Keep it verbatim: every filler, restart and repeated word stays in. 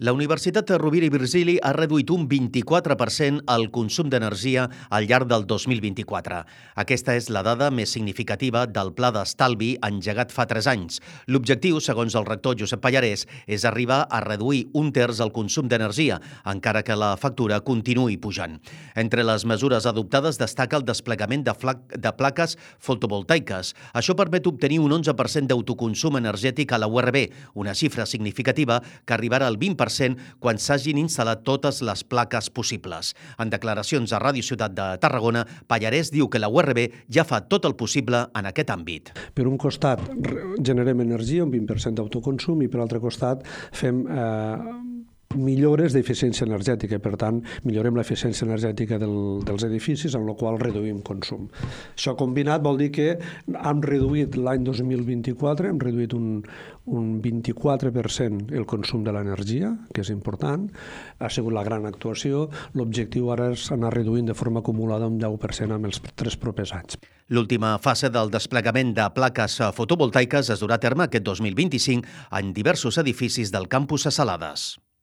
La Universitat Rovira i Virgili ha reduït un vint-i-quatre per cent el consum d'energia al llarg del dos mil vint-i-quatre. Aquesta és la dada més significativa del pla d'estalvi engegat fa tres anys. L'objectiu, segons el rector Josep Pallarès, és arribar a reduir un terç el consum d'energia, encara que la factura continuï pujant. Entre les mesures adoptades destaca el desplegament de, de plaques fotovoltaiques. Això permet obtenir un onze per cent d'autoconsum energètic a la U R B, una xifra significativa que arribarà al vint per cent quan s'hagin instal·lat totes les plaques possibles. En declaracions a Ràdio Ciutat de Tarragona, Pallarès diu que la U R B ja fa tot el possible en aquest àmbit. Per un costat, generem energia, un vint per cent d'autoconsum, i per l'altre costat fem eh, millores d'eficiència energètica. Per tant, millorem l'eficiència energètica del, dels edificis, amb la qual reduïm consum. Això combinat vol dir que hem reduït l'any dos mil vint-i-quatre, hem reduït un, un vint-i-quatre per cent el consum de l'energia, que és important, ha sigut la gran actuació. L'objectiu ara és anar reduint de forma acumulada un deu per cent en els tres propers anys. L'última fase del desplegament de plaques fotovoltaiques es durà a terme aquest dos mil vint-i-cinc en diversos edificis del campus a Salades.